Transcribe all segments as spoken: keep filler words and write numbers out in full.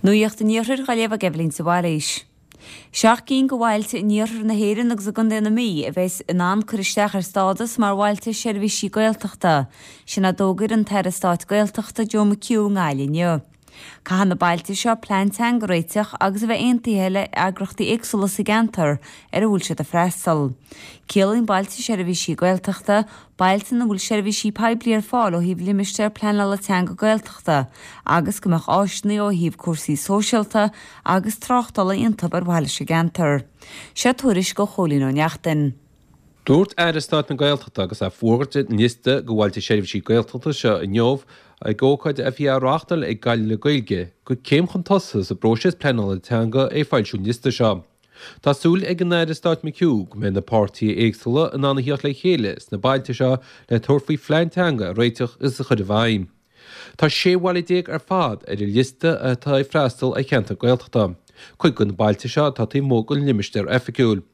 Nuacht an Iarthair á léamh ag Eibhlín de Bhailís. Seacht gcinn de bhailte in iarthar na hÉireann agus i gContae na Mí a bheas in ann cur isteach ar stádas mar bhailte seirbhísí Gaeltachta, sin a d'fhógair an tAire Stáit Gaeltachta Joe McHugh i nGaillimh inniu. Caithfidh na bailte seo plean teanga a réiteach agus a bheith aontaithe le heagraíochtaí éagsúla sa gceantar ar a bhfuil siad ag freastal. Ciallaíonn bailte seirbhísí Gaeltachta bailte ina bhfuil seirbhísí poiblí ar fáil ó thaobh limistéar pleanála teanga Gaeltachta agus go mbeadh áiseanna ó thaobh cúrsaí sóisialta agus tráchtála iontu ar mhaithe leis an gceantar. Seo tuairisc ó Chóilín Ó Neachtain. Dúirt Aire Stáit na Gaeltachta agus é ag fógairt an liosta de bhailte seirbhísí Gaeltachta seo inniu ag ócáid a bhí á reáchtáil ag Gaillimh le Gaeilge gur céim chun tosaigh sa bpróiseas pleanála teanga é foilsiú an liosta seo. Tá súil ag an Aire Stáit McHugh go mbeidh na páirtithe éagsúla in ann a theacht le chéile sna bailte seo le tabhairt faoi phlean teanga a réiteach is a chur i bhfeidhm. Tá sé bhaile déag ar fad ar an liosta atá ag freastal ar cheantar Gaeltachta. Cuid de na bailte seo atá taobh amuigh den limistéar oifigiúil.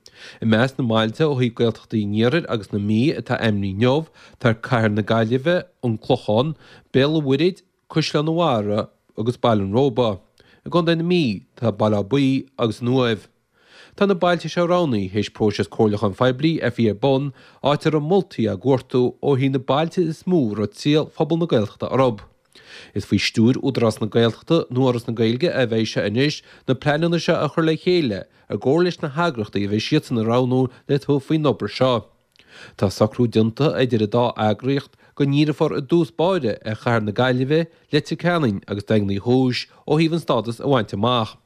I measc na mbailte ó thaobh Gaeltachtaí an Iarthair agus na Mí atá ainmnithe inniu tá Cathair na Gaillimhe, an Clochán, Béal an Mhuirthead, Caisleán an Bharraigh agus Baile an Róba. I gContae na Mí tá Baile Átha Buí agus an Uaimh. Tá na bailte seo roghnaithe théis próiseas comhairliúcháin phoiblí a bhí ar bun, áit a raibh moltaí á gcuartú ó thaobh na bailte is mó a raibh triall phobal na Gaeltachta orthu. Is faoi stiúir Údarás na Gaeltachta nó Fhoras na Gaeilge a bheidh sé anois na pleananna seo a chur le chéile i gcomhar leis na heagraíochtaí a bheidh siadsan a roghnú le tabhairt faoin obair seo. Tá socrú déanta idir an dá eagraíocht go ndíreofar i dtús báire ar Chathair na Gaillimhe, Leitir Ceanainn agus Daingean Uí Chúis ó thaobh an stádas a bhaint amach.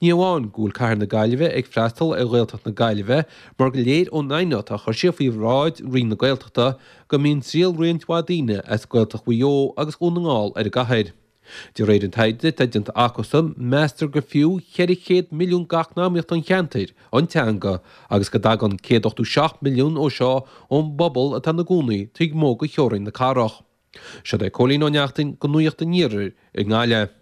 Ní amháin go bhfuil Cathair na Gaillimhe ag freastal ar Ghaeltacht na Gaillimhe mar gur léir ón aighneacht a chuir siad faoi bhráid Roinn na Gaeltachta go mbíonn triall roinnt mhaith daoine as Gaeltacht Mhaigh Eo agus Dhún na nGall ar an gcathair. De réir an taighde atá déanta acusan, meastar gur fiú ceithre chéad milliún d'eacnamaíocht an cheantair an teanga agus go dtagann céad ochtó seacht milliún ó seo ón bpobal atá ina gcónaí taobh amuigh de theorainn na cathrach. Seo é Cóilín Ó Neachtain do Nuacht an Iarthair i nGaillimh.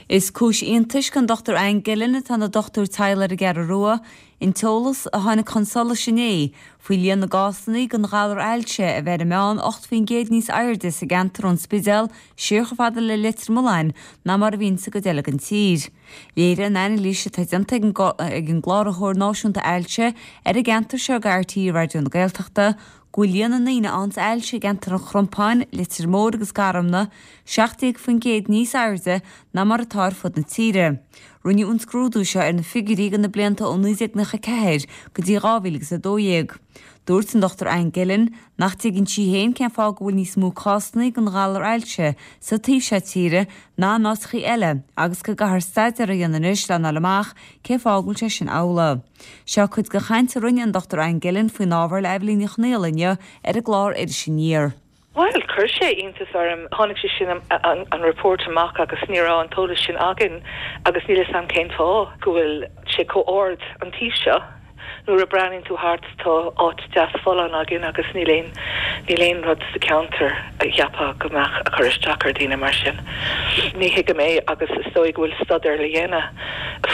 Is cúis iontais don Dochtúir Anne Gillen atá ina dochtúir teaghlaigh ar an gCeathrú Rua, an t-eolas a tháinig chun solais inné faoi líon na gcásanna den ghalar ailse a bheith ar an meán ocht faoin gcéad níos airde sa gceantar ón Spidéal siar chomh fada le Leitir Mealláin ná mar a bhíonn sa gcuid eile den tír. Léirigh an anailís atá déanta ag an gCláraitheoir Náisiúnta Ailse ar an gceantar seo do R T É Raidió na Gaeltachta go bhfuil líon na ndaoine a fhaigheanns ailse i gceantar an Chrompáin, Leitir Móir agus Garmna seacht déag faoin gcéad níos airde ná mar atá ar fud na tíre. Rinneadh an scrúdú seo ar na figiúirí do na blianta ó naoi déag nócha a ceathair go dtí dhá mhíle agus a dó dhéag. Dúirt an Dochtúir Anne Gillen nach dtuigeann sí féin cén fáth go bhfuil níos mó cásanna den ghalar ailse sa taobh seo tíre ná in áiteachaí eile agus go gcaithfear staidéar a dhéanamh anois lena fháil amach cén fáth go bhfuil sé sin amhlaidh. Seo cuid de chaint a rinne an Dochtúir Anne Gillen faoin ábhar le Eibhlín Ní Chonfhaola inniu ar an gclár Iris Aniar. Well, chuir sé iontas orm. Tháinig sé sin an, an report amach agus ní raibh an t-eolas sin againn agus níl a fhios agam cén fáth go bhfuil sé chomh ard an taobh seo. Nuair a breathnaíonn tú thart tá áit deas folláin againn agus níl aon níl aon rud sa ceantar a cheapfá go mbeadh ag cur isteach ar daoine mar sin. Ní thuigim é agus is dóigh go bhfuil staidéar le dhéanamh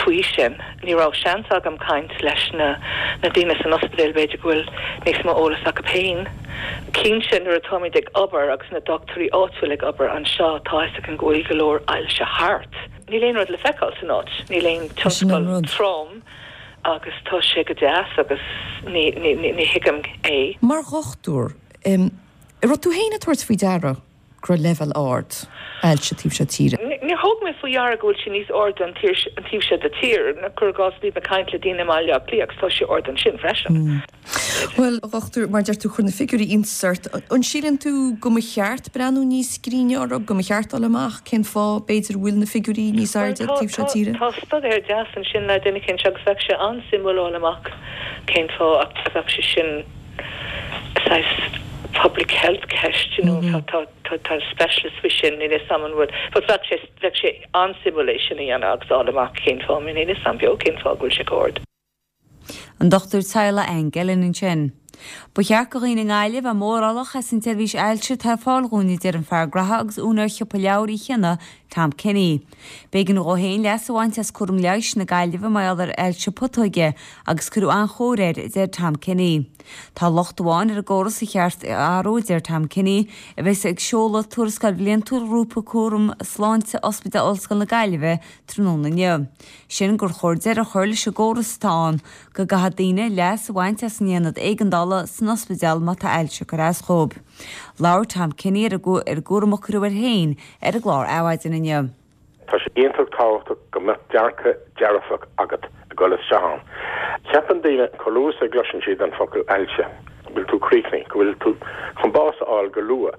faoi sin. Ní raibh seans agam caint leis na na daoine san ospidéal b'fhéidir go bhfuil níos mó eolas acu féin. Cinnte nuair atáimid ag obair agus na dochtúirí áitiúil ag obair anseo tá a fhios againn go bhfuil go leor ailse thart. Níl aon rud le feiceáil san áit, níl aon Sin an tionscal rud. trom agus tá sé go deas agus ní ní ní ní thuigim é. Mar dhochtúir, um, raibh tú féin ag tabhairt faoi deara go raibh leibhéal ard ailse taobh seo tíre. Ní thóg mé faoi deara go bhfuil sé níos airde an tír an taobh seo de tír na cur gás bhí mé ag caint le daoine i mBaile Átha Cliath agus tá sé ard ansin freisin. Well, a dhochtúir, mar deir tú chuir na figiúirí iontas ort, an síleann tú go mba cheart breathnú níos cruinne orthu, go mba cheart dul amach cén fáth b'fhéidir bhfuil na figiúirí níos Well, airde tá taobh seo tá tíre? tá staidéar deas ansin le duine éicint agus bheadh sé an-suimiúil fháil amach cén fáth a bheadh sé sin saghas public health ceist, you know, tá tá tá tá specialist faoi sin níl a fhios agam an bhfuil but bheadh sé bheadh sé an-suimiúil é sin a dhéanamh agus fháil amach cén fáth níl a fhios agam beo cén fáth go bhfuil sé chomh ard. An Dochtúir teaghlaigh Anne Gillen ansin. Ba cheart do dhaoine i nGaillimh a bheith mórálach as an tseirbhís ailse atá ar fáil dhúinn a deir an fear graithe agus úinéir shiopa leabhar Uí Chionnaith Tom Kenny. B'éigean dó féin leas a bhaint as cúram leighis na Gaillimhe mar gheall ar ailse putóige agus cuireadh an-chóir air, a deir Tom Kenny. Tá locht amháin ar an gcóras a cheart a athrú, a deir Tom Kenny, a bheas ag seoladh tuarascáil bhliantúil Ghrúpa Cúram Sláinte Ospidéal Ollscoil na Gaillimhe tráthnóna inniu. Sin gur chóir deireadh a chur leis an gcóras atá ann go gcaithfidh daoine leas a bhaint as an aonad éigeandála san ospidéal má tá ailse ag cur as dóibh. Labhair Tom Kenny ar an gcúram a cuireadh air féin ar an gclár Adhmhaidin inniu. Tá sé iontach tábhachtach go mbeadh dearcadh dearfach agat ag dul isteach ann. Ceapann daoine chomh luath is a gcloiseann siad an focal ailse, go bhfuil tú críochnaithe, go bhfuil tú chun bás a fháil go luath.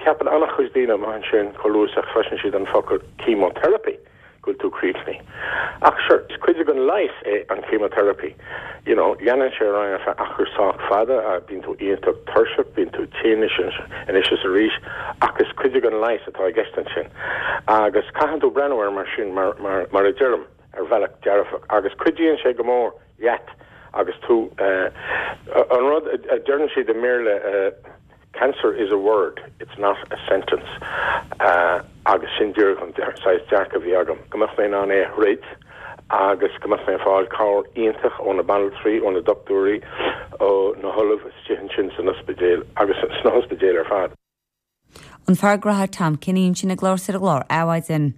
Ceapann an-chuid daoine amuigh ansin chomh luath is a chloiseann siad an focal chemotherapy, go bhfuil tú críochnaithe. Ach sure, is cuid den leigheas é an chemotherapy. You know, leanann sé ar aghaidh ar feadh achar sách fada, bíonn tú iontach tuirseach, bíonn tú tinn anois is arís, ach is cuid den leigheas atá i gceist ansin. Agus caitheann tú breathnú air mar sin, mar, mar, mar a deirim, ar bhealach dearfach. Agus cuidíonn sé go mór leat agus tú, eh, an rud a deireann siad i mBéarla, eh, cancer is a word, it's not a sentence. Uh, agus sin díreach an saghas dearcadh a bhí agam, go mbeadh mé in ann é a throid agus go mbeadh mé ag fáil cabhair iontach ó na banaltraí, ó na dochtúirí, ó na hollaimh istigh ansin san ospidéal agus sna hospidéil ar fad. An fear graithe Tom Kenny ansin ag labhairt ar an gclár Adhmhaidin.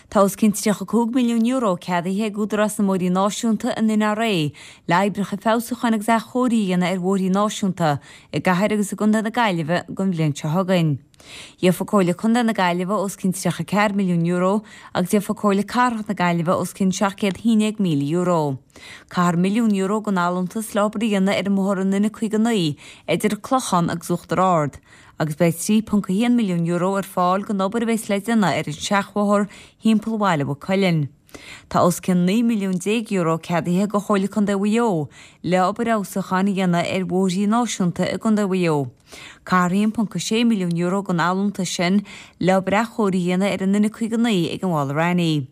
Tá os cionn tríocha cúig milliún euro ceadaithe ag Údarás na mBóithrí Náisiúnta, an NRA, le oibreacha feabhsúcháin agus athchóirithe a dhéanamh ar bhóithrí náisiúnta i gcathair agus i gcontae na Gaillimhe don bhliain seo chugainn. Gheofa Comhairle Contae na Gaillimhe os cionn tríocha ceathair milliún euro agus gheofa Comhairle Cathrach na Gaillimhe os cionn seacht gcéad haon déag míle euro. Ceathair milliún euro den allúntas le obair a dhéanamh ar an mbóthar an N caoga naoi idir an Clochán agus Uachtar Ard, agus beidh trí ponc a haon milliún euro ar fáil don obair a bheas le déanamh ar an seachbhóthar thimpeall Bhaile Mhaigh Cuilinn. Tá os cionn naoi milliún déag euro ceadaithe do Chomhairle Contae Mhaigh Eo le obair fheabhsúcháin a dhéanamh ar bhóithrí náisiúnta i gContae Mhaigh Eo. Ceathair haon ponc a sé milliún euro den allúntas sin le obair athchóirithe a dhéanamh ar an N caoga naoi ag an Mhála Raithní.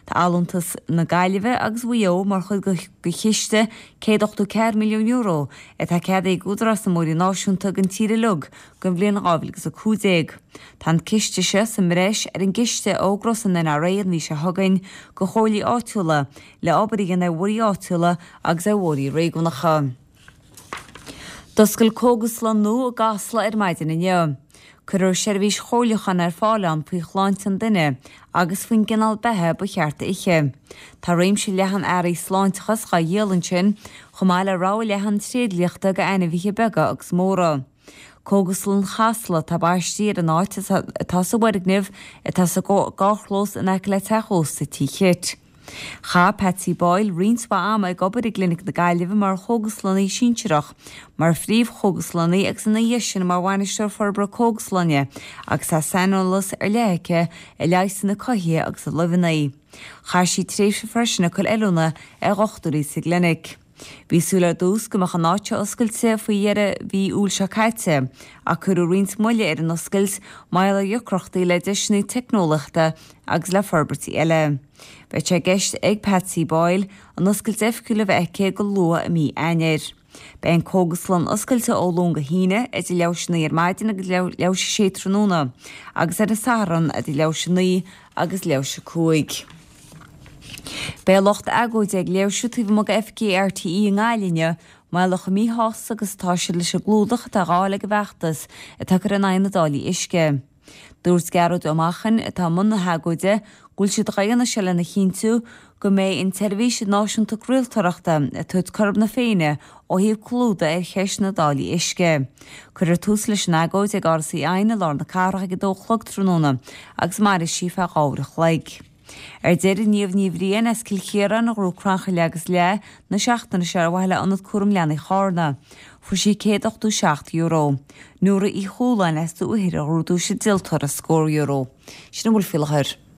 Tá allúntas na Gaillimhe agus Mhaigh Eo mar chuid de chiste céad ochtó ceathair milliún euro atá ceadaithe ag Údarás na mBóithrí Náisiúnta don tír uilig don bhliain dhá mhíle agus a cúig déag. Tá an ciste seo sa mbreis ar an gciste a fhógrós an NRA an mhí seo chugainn do chomhairlí áitiúla le obair a dhéanamh ar bhóithrí áitiúla agus ar bhóithrí réigiúnacha. D'oscail cógaslann nua i gCasla ar maidin inniu. Cuirfear seirbhís chomhairliúcháin ar fáil ann faoi shláinte an duine agus faoin gcineál beatha ba cheart a ithe. Tá réimse leathan earraí sláinteachais á dhíol ansin, chomh maith le rogha leathan tréidliachta do ainmhithe beaga agus móra. Cógaslann Chasla atá baistí ar an áit atá sa bhfoirgneamh atá sa gcarrchlós in aice le teach ósta Tí Chit. Chaith Patsy Boyle roinnt mhaith ama ag obair i gClinic na Gaillimhe mar chógaslannaí sinsearach, mar phríomh-chógaslannaí agus ina dhiaidh sin mar bhainisteoir forbartha cógaslainne agus tá saineolas ar leith aici i leigheasanna cothaithe agus i luibheanna. Chaith sí tréimhse freisin ag cur oiliúna ar dhochtúirí sa gclinic. Bhí súil ar dtús go mbeadh an áit seo oscailte faoi dheireadh mhí Iúil seo caite ach cuireadh roinnt moille ar an oscailt mar gheall ar dheacrachtaí le deiseanna teicneolaíochta agus le forbairtí eile. Beidh sé i gceist ag Patsy Boyle an oscailt oifigiúil a bheith aici go luath i mí Eanáir. Beidh an cógaslann oscailte ó Luan go hAoine idir leathuair théis a naoi ar maidin agus leathuair théis a sé tráthnóna agus ar an Satharn idir leathuair théis a naoi agus leathuair théis a cúig. Beidh lucht agóide ag léirsiú taobh amuigh d'oifigí RTÉ i nGaillimh inniu mar gheall ar chomh míshásta agus atá siad leis an gclúdach atá á fháil ag an bhfeachtas atá curtha in aghaidh na dtáillí uisce. Dúirt Gearóid Ó Machain, atá i mbun na hagóide, go bhfuil siad á dhéanamh seo lena chinntiú go mbeidh an tseirbhís náisiúnta craoltóireachta ag tabhairt cothrom na Féinne ó thaobh clúdaigh ar cheist na dtáillí uisce. Cuirfear tús leis an agóid ag Áras Uí Eidhin i lár na cathrach ag a dó a chlog tráthnóna agus mairfidh sí feadh dhá uair a chloig. Ar deireadh, Niamh Ní Bhriain as Cill Chiaráin a ghnóthaigh crannchur agus leath na seachtaine seo ar mhaithe le Ionad Cúram Leanaí Chárna. Fuair sí céad ochtó seacht euro. Nóra Uí Chualáin as Dumha Uidhir a ghnóthaigh duais an díoltóra scór euro. Sin a bhfuil faoi láthair.